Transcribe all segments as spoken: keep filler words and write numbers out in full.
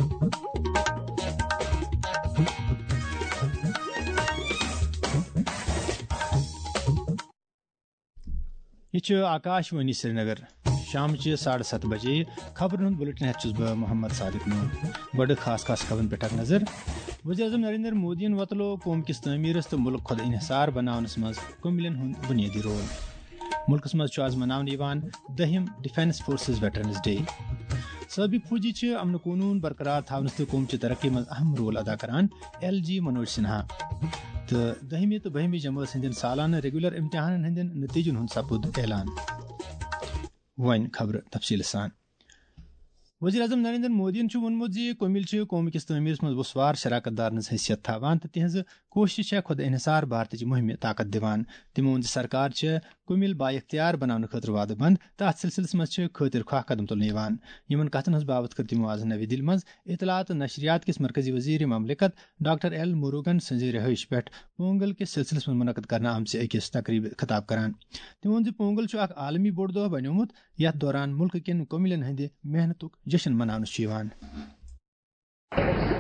یہِ چھُ آکاش وانی سرینگر۔ شامچہِ ساڑٕ ستھ بجے خبرن ہُنٛد بُلٹن ہٮ۪تھ چھُس بہٕ محمد صادق نوٗر۔ گۄڈٕ خاص خاص خبرن پٮ۪ٹھ اکھ نظر۔ وزیر اعظم نریندر مودیَن وۄتلو قوم کِس تعمیٖرس تہٕ مُلک خۄد انحصار بناونس منٛز کُمِلٮ۪ن ہُنٛد بُنیٲدی رول۔ مُلکس منٛز چھُ از مناونہٕ یِوان دٔہِم ڈیفنس فورسز ویٹرنز ڈے۔ سٲبِق فوجی چھِ امن قونوٗن برقرار تھاونس تہٕ قوم چہِ ترقی منٛز اہم رول ادا کران، ایل جی منوج سنہا۔ تہٕ دٔہمہِ تہٕ بٔہمہِ جمٲژ ہٕنٛدٮ۪ن سالانہٕ ریگولر امتحانن ہٕنٛدٮ۪ن نتیجن ہُنٛد سپُد اعلان۔ وۄنۍ خبرٕ تفصیٖلہٕ سان۔ وزیر اعظم نریندر مودیَن چھُ ووٚنمُت زِ کُمِل چھِ قوم کِس تعمیٖرس منٛز وُسوار شراکت دارن ہٕنٛز حیثیت تھاوان تہٕ تِہنٛز کوٗشش چھےٚ خود انحصار بھارتٕچ مُہِمہِ طاقت دِوان۔ تِمو ووٚن زِ سرکار چھےٚ کُمِل بااختیار بناونہٕ خٲطرٕ وعدٕ بنٛد تہٕ اتھ سلسلس منٛز چھِ خٲطر خواہ قدم تُلنہٕ یِوان۔ یِمن کتھن ہٕنٛز باوتھ کٔر تِمو از نَوِ دِلہِ منٛز اطلاعات تہٕ نشریات کِس مرکزی وزیر مملکت ڈاکٹر ایل مروگن سٕنٛزِ رہٲیشہِ پٮ۪ٹھ پونگل کِس سلسلس منٛز منعقد کرنہٕ آمژِ أکِس تقریبہِ خطاب کران۔ تِمو ووٚن زِ پونگل چھُ اکھ عالمی بوٚڑ دۄہ بنیومُت، یتھ دوران مُلکہٕ کٮ۪ن کُمِلٮ۪ن ہٕنٛدِ محنتُک جشن مناونہٕ چھُ یِوان۔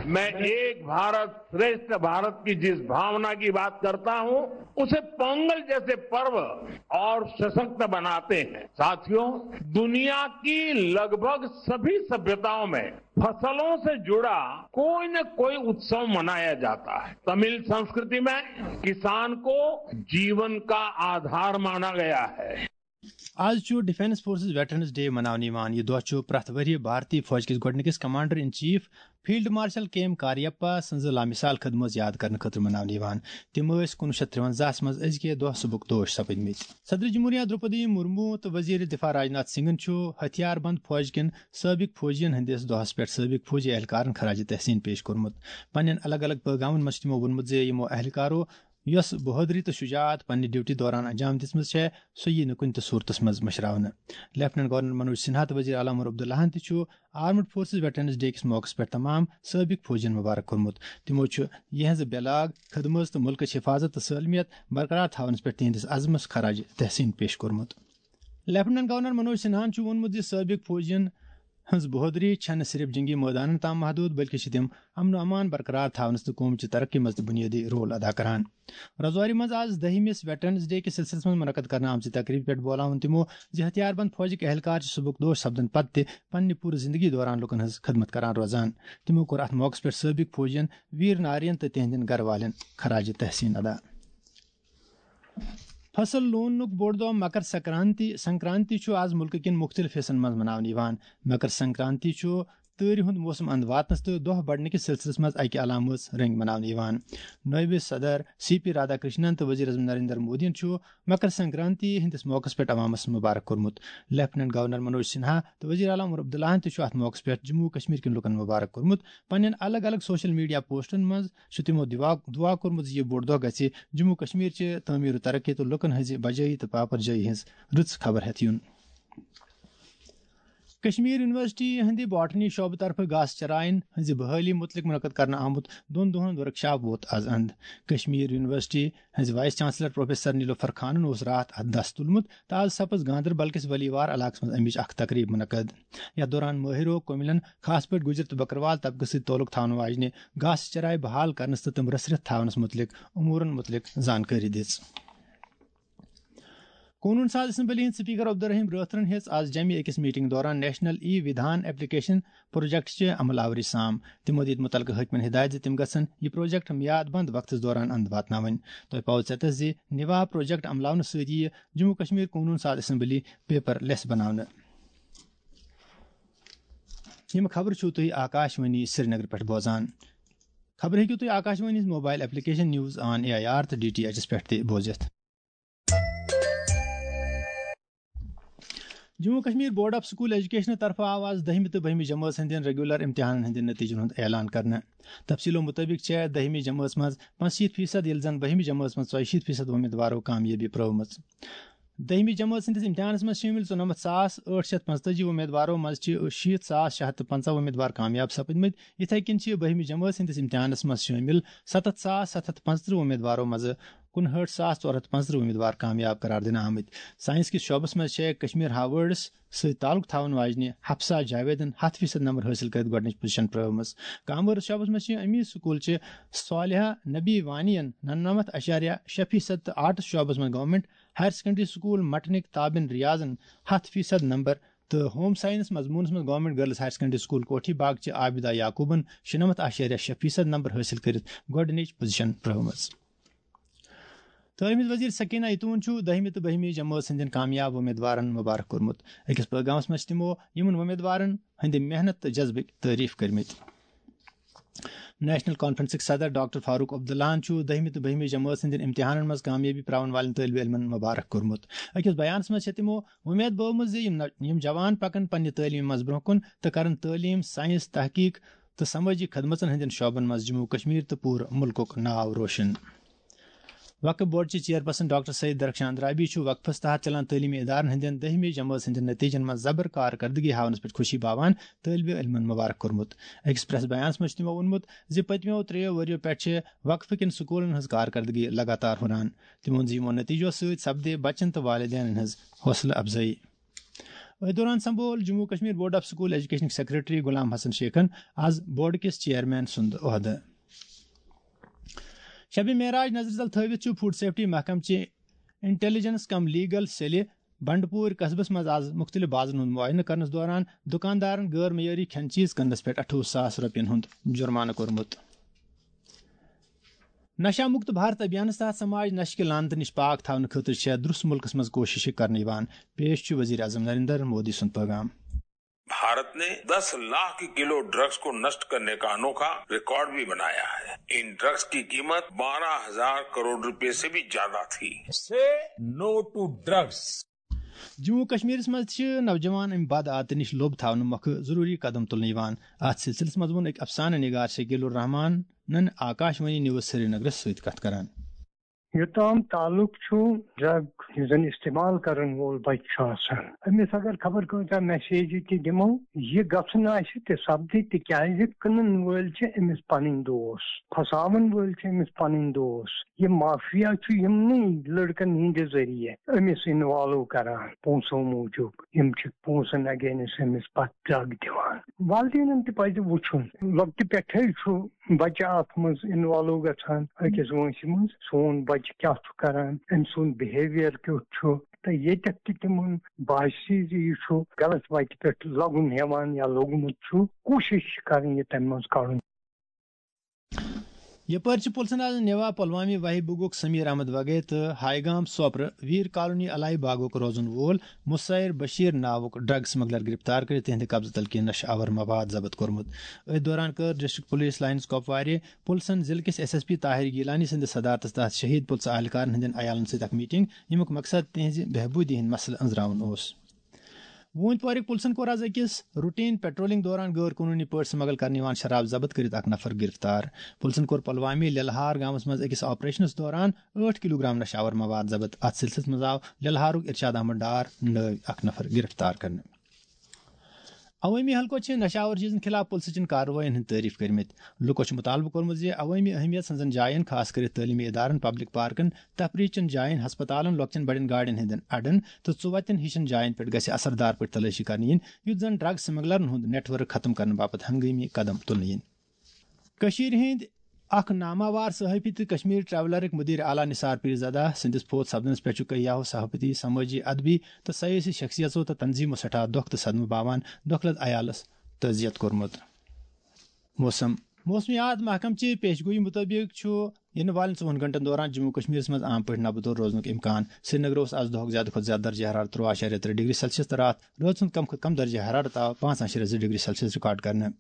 मैं एक भारत श्रेष्ठ भारत की जिस भावना की बात करता हूं, उसे पोंगल जैसे पर्व और सशक्त बनाते हैं। साथियों, दुनिया की लगभग सभी सभ्यताओं में फसलों से जुड़ा कोई न कोई उत्सव मनाया जाता है। तमिल संस्कृति में किसान को जीवन का आधार माना गया है। از چھُ ڈیفنس فورسز ویٹرنز ڈے مناونہٕ یِوان۔ یہِ دۄہ چھُ پرٛٮ۪تھ ؤریہِ بھارتی فوج کِس گۄڈٕنِکِس commander in chief field marshal K M Cariappa سٕنٛزِ لامثال خدمژ یاد کرنہٕ خٲطرٕ مناونہٕ یِوان۔ تِم ٲسۍ کُنوُہ شیٚتھ ترٛوَنزاہَس منٛز أزکہِ دۄہ سبک دوش سپٕدمٕتۍ۔ صدر جمہوریہ درٛوپدی مرمو تہٕ وزیر دفاع راجناتھ سنگھن چھُ ہتھیار بند فوج کٮ۪ن سٲبق فوجین ہٕنٛدِس دۄہس پٮ۪ٹھ سٲبق فوجی اہلکارن خراج تحسین پیش کوٚرمُت۔ پننٮ۪ن الگ الگ پیغامن منٛز چھُ تِمو ووٚنمُت زِ یِمو اہلکارو یۄس بہادری تہٕ شجاعت پننہِ ڈیوٹی دوران انجام دِژمٕژ چھےٚ، سۄ ییہِ نہٕ کُنہِ تہِ صورتس منٛز مٔشراونہٕ۔ لیفٹیننٹ گورنر منوج سنہا تہٕ وزیر اعلیٰ عمر عبداللہن تہِ چھُ آرمڈ فورسز ویٹرنز ڈے کِس موقعس پٮ۪ٹھ تمام سٲبق فوجین مبارک کوٚرمُت۔ تِمو چھُ یِہنٛز بے لاگ خدمژ تہٕ مُلکٕچ حفاظت تہٕ سٲلمیت برقرار تھاونس پٮ۪ٹھ تِہنٛدِس عزمس خراج تحسین پیش کوٚرمُت۔ لیفٹیننٹ گورنر منوج سنہاہن چھُ ووٚنمُت زِ سٲبق فوجین ہٕنٛز بہادری چھنہٕ صرف جنگی مٲدانن تام محدود، بلکہِ چھِ تِم امن و امان برقرار تھاونس تہٕ قومچہِ ترقی منٛز تہِ بُنیٲدی رول ادا کران۔ رازوری منٛز آز دٔہمِس ویٹرنز ڈے کِس سلسلس منٛز منعقد کرنہٕ آمژِ تقریبہِ پٮ۪ٹھ بولاوُن تِمو زِ ہتھیار بند فوجٕکۍ اہلکار چھِ صبحُک دوش سپدن پتہٕ تہِ پننہِ پوٗرٕ زندگی دوران لوٗکن ہٕنٛز خدمت کران روزان۔ تِمو کوٚر اتھ موقعس پٮ۪ٹھ سٲبق فوجین ویر نارین تہٕ تِہنٛدٮ۪ن گرٕ والٮ۪ن خراج تحسین ادا۔ فصل لوننُک بوٚڑ دۄہ مکر سنکرانتی سنکرانتی چھُ آز مُلکہٕ کٮ۪ن مُختٔلِف حصن منٛز مناونہٕ یِوان۔ مکر سنکرانتی چھُ تۭرِ ہُنٛد موسم اند واتنس تہٕ دۄہ بڑنہٕ کِس سلسلس منٛز اکہِ علامہٕ رٔنگۍ مناونہٕ یِوان۔ نٲیِب صدر سی پی رادھا کرشنن تہٕ وزیر اعظم نریندر مودیَن چھُ مکر سنکرانتی ہٕنٛدِس موقعس پٮ۪ٹھ عوامس مبارک کوٚرمُت۔ لیفٹیننٹ گورنر منوج سنہا تہٕ وزیر اعلیٰ عمر عبداللہن تہِ چھُ اتھ موقعس پٮ۪ٹھ جموں کشمیر کٮ۪ن لوٗکن مبارک کوٚرمُت۔ پننٮ۪ن الگ الگ سوشل میڈیا پوسٹن منٛز چھُ تِمو دعا دعا کوٚرمُت زِ یہِ بوٚڑ دۄہ گژھِ جموں کشمیر چہِ تعمیٖر و ترقی تہٕ لوٗکن ہٕنٛزِ بجٲیی تہٕ پاپر جٲیی ہٕنٛز رٕژ خبر ہٮ۪تھ یُن۔ کشمیر یونیورسٹی ہٕنٛدِ باٹنی شعبہٕ طرفہٕ گاسہٕ چراین ہٕنٛزِ بحٲلی مُتعلق منعقد کرنہٕ آمُت دۄن دۄہن ورکشاپ ووت از اند۔ کشمیر یونیورسٹی ہٕنٛزِ وائس چانسلر پروفیسر نیلوفر خانن اوس راتھ اتھ دس تُلمُت تہٕ از سپٕز گاندربل کِس ولیوار علاقس منٛز امِچ اکھ تقریب منعقد۔ یتھ دوران مٲہرو کُمِلن، خاص پٲٹھۍ گُجر تہٕ بکروال طبقہٕ سۭتۍ تعلق تھاونہٕ واجنہِ گاسہٕ چراے بحال کرنس تہٕ تِم رٔسرِتھ تھاونس مُتعلق امورن مُتعلق زانکٲری دِژ۔ قونوٗن ساز اسمبلی ہٕنٛدۍ سپیکر عبدالرحیم رٲتھرن ہیٚژ آز جمہِ أکِس میٹنگ دوران نیشنل ای ودھان ایپلیکیشن پروجیکٹ چہِ عمل آوری سام۔ تِمو دِتۍ مُتعلقہٕ حٲکمن ہدایت زِ تِم گژھن یہِ پروجیکٹ میاد بند وقتس دوران اند واتناوٕنۍ۔ تۄہہِ پاوٕ ژٮ۪تس زِ نِوا پروجیکٹ عملاونہٕ سۭتۍ یِیہِ جموں کشمیر قونوٗن ساز اسمبلی پیپر لیس بناونہٕ۔ یِم خبرٕ چھِو تُہۍ آکاش وانی سرینگر پٮ۪ٹھ بوزان۔ خبرٕ ہیٚکِو تُہۍ آکاش وانی ہٕنٛز mobile application news on A I R تہٕ ڈی ٹی ایچ پٮ۪ٹھ تہِ بوٗزِتھ۔ Jammu Kashmir board of school education طرفہٕ آو آز دٔہمہِ تہٕ بٔہمہِ جمٲژ ہٕنٛدٮ۪ن ریگولر امتحانن ہٕنٛدٮ۪ن نتیجن ہُنٛد اعلان کرنہٕ۔ تفصیلو مُطٲبِق چھےٚ دٔہمہِ جمٲژ منٛز پانٛژشیٖتھ فیصد، ییٚلہِ زن بٔہمہِ جمٲژ منٛز ژۄیہِ شیٖتھ فیصد وۄمیدوارو کامیٲبی پرٲومٕژ۔ دٔہمہِ جمٲژ ہٕنٛدِس امتحانس منٛز شٲمِل ژُنَمَتھ ساس ٲٹھ شیٚتھ پانٛژتٲجی وۄمیدوارو منٛز چھِ شیٖتھ ساس شےٚ ہَتھ تہٕ پنٛژاہ وۄمیدوار کامیاب سپٕدمٕتۍ۔ یِتھے کٔنۍ چھِ بٔہمہِ جمٲژ ہٕنٛدِس امتحانس منٛز شٲمِل سَتَتھ ساس سَتھ ہَتھ پانٛژترٕٛہ وۄمیدوارو منٛزٕ کُنہٲٹھ ساس ژور ہَتھ پانٛژترٕٛہ وۄمیدوار کامیاب قرار دِنہٕ آمٕتۍ۔ ساینس کِس شعبس منٛز چھےٚ کشمیر ہاوٲرڈس سۭتۍ تعلق تھاون واجنہِ حفصہ جاویدن ہَتھ فیصد نمبر حٲصِل کٔرِتھ گۄڈٕنِچ پوزیشن پرٲومٕژ۔ کامٲرٕس شعبس منٛز چھِ امی سکول چہِ صالحہ نبی وانی ین نَمنَمَتھ اعشاریہ شےٚ فیصد تہٕ آرٹس شعبس منٛز گورنمنٹ ہایر سیکنڈری سکول مٹنٕکۍ تابن ریاضن ہَتھ فیصد نمبر تہٕ ہوم ساینس مضموٗنس منٛز government girls higher secondary school Kothi Bagh چہِ عابدہ یعقوبن شُنَمَتھ اعشاریہ شےٚ فیصد نمبر حٲصِل کٔرِتھ گۄڈٕنِچ پوزیشن پرٲومٕژ۔ تعلیمی وزیر سکینہ اتون چھُ دٔہمہِ تہٕ بٔہمہِ جمٲژ ہٕنٛدٮ۪ن کامیاب وۄمیدوارن مبارک کوٚرمُت۔ أکِس پیغامس منٛز چھِ تِمو یِمن وۄمیدوارن ہٕنٛدِ محنت تہٕ جذبٕکۍ تعریف کٔرمٕتۍ۔ نیشنل کانفرنسٕکۍ صدر ڈاکٹر فاروق عبداللہن چھُ دٔہمہِ تہٕ بٔہمہِ جمٲژ ہٕنٛدٮ۪ن امتحانن منٛز کامیٲبی پراون والٮ۪ن طٲلبہِ علمن مبارک کوٚرمُت۔ أکِس بیانس منٛز چھِ تِمو وۄمید بٲومٕژ زِ یِم نو-، یِم جوان پکن پننہِ تعلیمہِ منٛز برونٛہہ کُن تہٕ کرن تعلیٖم، ساینس، تحقیق تہٕ سمٲجی خدمژن ہٕنٛدٮ۪ن شعبن منٛز جموں و کشمیر تہٕ پوٗرٕ مُلکُک ناو روشن۔ وقف بورڈ چہِ چیئرپرسن ڈاکٹر سید درخشان اندرابی چھُ وقفس تحت چلان تعلیمی ادارن ہٕنٛدٮ۪ن دٔہمہِ جمٲژ ہٕنٛدٮ۪ن نتیجن منٛز زبر کارکردگی ہاونس پٮ۪ٹھ خوشی باوان طٲلبہِ علمن مبارک کوٚرمُت۔ أکِس پریس بیانس منٛز چھُ تِمو ووٚنمُت زِ پٔتمیو ترٛیٚیو ؤرِیو پٮ۪ٹھ چھِ وقفہٕ کٮ۪ن سکوٗلن ہٕنٛز کارکردگی لگاتار ہُران۔ تِمو ووٚن زِ یِمو نتیجو سۭتۍ سپدِ بچن تہٕ والدینن ہٕنٛز حوصلہٕ افزٲیی۔ أتھۍ دوران سمبول Jammu Kashmir board of school ایجوکیشنٕکۍ سیکرٹری غلام حسن شیخن آز بورڈ کِس چیئرمین سُنٛد عہدٕ۔ شب معراج نظرِ تل تھٲوِتھ چھُ فوڈ سیفٹی محکمہٕ چہِ انٹیلیجنس کم لیگل سیلہِ بنڈپور قصبس منٛز آز مُختٔلِف بازرن ہُنٛد معائنہٕ کرنس دوران دُکاندارن غٲر معیٲری کھٮ۪ن چیٖز کٕننس پٮ۪ٹھ اَٹھووُہ ساس رۄپین ہُنٛد جُرمانہٕ کوٚرمُت۔ نشہ مکت بھارت ابھیانس تحت سماج نشہٕ کہِ لعنتہٕ نِش پاک تھاونہٕ خٲطرٕ چھےٚ درُس مُلکس منٛز کوٗششہٕ کرنہٕ یِوان۔ پیش چھُ وزیر اعظم نریندر مودی سُنٛد پیغام۔ भारत ने दस लाख किलो ड्रग्स को नष्ट करने का अनोखा रिकॉर्ड भी बनाया है। इन ड्रग्स की कीमत बारह हजार करोड़ रुपए से भी ज्यादा थी। Say no to drugs. Jammu و کشمیرس منٛز چھِ نوجوان امہِ بد عادتہٕ نِش لوٚب تھاونہٕ مۄکھٕ ضروٗری قدم تُلنہٕ یِوان۔ اتھ سلسلس منٛز ووٚن أکۍ افسانہٕ نگار شکیل الرحمانن آکاش وانی نیوز سرینگرس سۭتۍ کتھ کران۔ یوٚتام تعلق چھُ ڈرگ یُس زن استعمال کرن وول بچہِ چھُ آسان، أمِس اگر خبر کۭژاہ میسیجہِ تہِ دِمو، یہِ گژھُن آسہِ تہِ سپدِ، تِکیازِ کٕنن وٲلۍ چھِ أمِس پنٕنۍ دوس، پھساون وٲلۍ چھِ أمِس پنٕنۍ دوس۔ یہِ مافیا چھُ یِمنٕے لڑکن ہٕنٛدِ ذٔریعہٕ أمِس انوالو کران پونٛسو موٗجوٗب۔ یِم چھِ پونٛسن اگینسٹ أمِس پتہٕ ڈرگ دِوان۔ والدینن تہِ پزِ وُچھُن، لۄکٹہِ پٮ۪ٹھے چھُ بچہِ اتھ منٛز انوالو گژھان أکِس وٲنٛسہِ منٛز، سون بچہِ کیٛاہ چھُ کران، أمۍ سُنٛد بہیویئر کیُتھ چھُ۔ تہٕ ییٚتٮ۪تھ تہِ تِمن باسہِ زِ یہِ چھُ غلط وتہِ پٮ۪ٹھ لگُن ہٮ۪وان یا لوٚگمُت چھُ، کوٗشش چھِ کرٕنۍ یہِ تمہِ منٛز کڑُن۔ یپٲرۍ چھِ پُلسن آز نیوا پلوامی وہی بُگُک سمیر احمد وگے تہٕ ہاے گام سوپرٕ ویر کالونی الائی باغُک روزن وول مسیر بشیر ناوُک ڈرگ سمگلر گرفتار کٔرِتھ تِہنٛدِ قبضہٕ تل کینٛہہ نشہٕ آور مواد ضبط کوٚرمُت۔ أتھۍ دوران کٔر ڈسٹرکٹ پولیس لائنز کۄپوارِ پُلسن ضلعہٕ کِس S S P Tahir Gilani سٕنٛدِس صدارتس تحت شہید پُلسہٕ اہلکارن ہٕنٛدٮ۪ن عیالن سۭتۍ اکھ میٹنگ، ییٚمیُک مقصد تِہنٛزِ بہبوٗدی ہٕنٛدۍ مسلہٕ أنٛزراوُن اوس۔ ووٗنۍ پورٕکۍ پُلسن کوٚر آز أکِس روٹین پیٹرولنگ دوران غٲر قونوٗنی پٲٹھۍ سمگل کرنہٕ یِوان شراب ضبط کٔرِتھ اکھ نفر گرفتار۔ پُلسن کوٚر پلوامی لیلہار گامس منٛز أکِس آپریشنس دوران ٲٹھ کلوگرام نشہٕ آور مواد ضبط۔ اتھ سلسلس منٛز آو لیلہارُک ارشاد احمد ڈار نٲوۍ اکھ نفر گرفتار کرنہٕ۔ عوٲمی حلقو چھِ نشہٕ آور چیٖزن خلاف پُلسہٕ چٮ۪ن کاروٲیین ہٕنٛدۍ تعریف کٔرمٕتۍ۔ لُکو چھُ مُطالبہٕ کوٚرمُت زِ عوٲمی اہمیت ہٕنٛزن جاین، خاص کٔرِتھ تعلیمی ادارن، پبلک پارکن، تفریح چٮ۪ن جاین، ہسپتالن، لۄکچٮ۪ن بڑٮ۪ن گاڑٮ۪ن ہٕنٛدٮ۪ن اڈن تہٕ ژُوتٮ۪ن ہِشن جاین پٮ۪ٹھ گژھِ اثردار پٲٹھۍ تلٲشی کرنہٕ یِنۍ، یُتھ زن ڈرگ سمگلرن ہُنٛد نیٹ ورک ختم کرنہٕ باپتھ ہنگٲمی قدم تُلنہٕ یِن۔ کٔشیٖرِ ہٕنٛدۍ اکھ ناماوار صحافی تہٕ کشمیر ٹریولرٕکۍ مدیر اعلیٰ نثار پیرزادہ سٕنٛدِس فوت سپدنس پٮ۪ٹھ چھُ کیاہو صحافتی، سمٲجی، ادبی تہٕ سیٲسی شخصیژو تہٕ تنظیمو سٮ۪ٹھاہ دۄکھ تہٕ صدمہٕ باوان۔ دۄکھ لد عیالس تعزیت کوٚرمُت۔ موسم۔ موسمیات محکمہٕ چہِ پیشگویی مُطٲبِق چھُ یِنہٕ والٮ۪ن ژوٚوُہن گھنٹن دوران جموں و کشمیرس منٛز عام پٲٹھۍ نبہٕ دور روزنُک امکان۔ سرینگر اوس آز دۄہُک زیادٕ کھۄتہٕ زیادٕ درجہ حرارت ترٛوٚوُہ اعشاریہ ترٛےٚ ڈگری سیلسیس تہٕ راتھ رٲژ ہُنٛد کم کھۄتہٕ کم درجہ حرارت آو پانٛژھ اعشاریہ زٕ ڈگری سیلسیس ریکارڈ کرنہٕ۔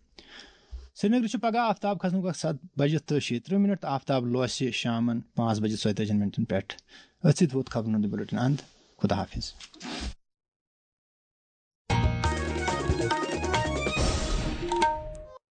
سرینگرٕ چھُ پگہہ آفتاب کھسنُک وقت ستھ بجہِ تہٕ شیٚیہِ ترٕٛہ منٹ تہٕ آفتاب لوسہِ شامن پانٛژھ بجہِ ژۄیتٲجِہن منٹن پٮ۪ٹھ۔ أتھۍ سۭتۍ ووت خبرن ہُنٛد بُلٹن اند۔ خدا حافظ۔